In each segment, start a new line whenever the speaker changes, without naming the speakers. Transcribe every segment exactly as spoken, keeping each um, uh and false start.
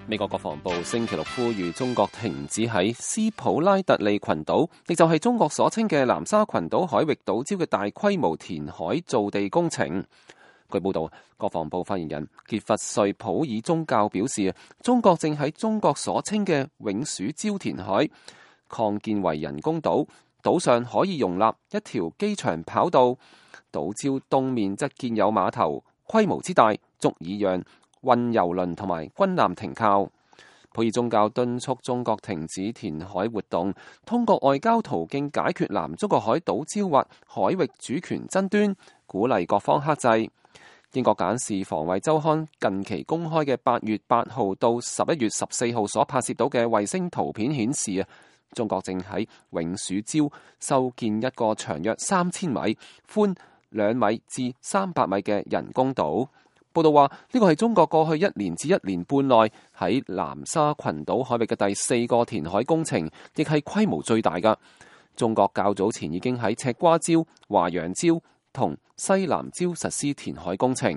美國國防部星期六呼籲中國停止喺斯普拉特利群島，亦就係中國所稱嘅南沙群島海域島礁嘅大規模填海造地工程。據報道，國防部發言人傑弗瑞普爾宗教表示，中國正喺中國所稱嘅永暑礁填海，擴建為人工島，島上可以容納一條機場跑道，島礁東面則建有碼頭，規模之大，足以讓運油輪同埋軍艦停靠。普爾宗教敦促中國停止填海活動，通過外交途徑解決南中國海島礁或海域主權爭端，鼓勵各方克制。英國簡氏防衛週刊近期公開嘅八月八號到十一月十四號所拍攝到嘅衛星圖片顯示啊，中國正喺永暑礁修建一個長約三千米、寬兩米至三百米嘅人工島。報道話，呢個係中國過去一年至一年半內喺南沙群島海域嘅第四個填海工程，亦係規模最大㗎。中國較早前已經喺赤瓜礁、華陽礁同西南礁實施填海工程。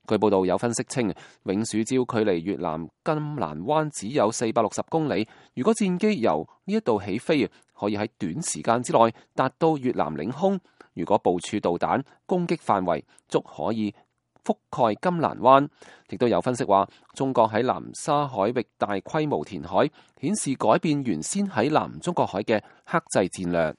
據報道有分析稱，永暑礁距離越南金蘭灣只有四百六十公里，如果戰機由呢一度起飛，可以喺短時間之內達到越南領空。如果部署導彈，攻擊範圍足可以覆蓋金蘭灣。亦都有分析話，中國喺南沙海域大規模填海，顯示改變原先喺南中國海嘅克制戰略。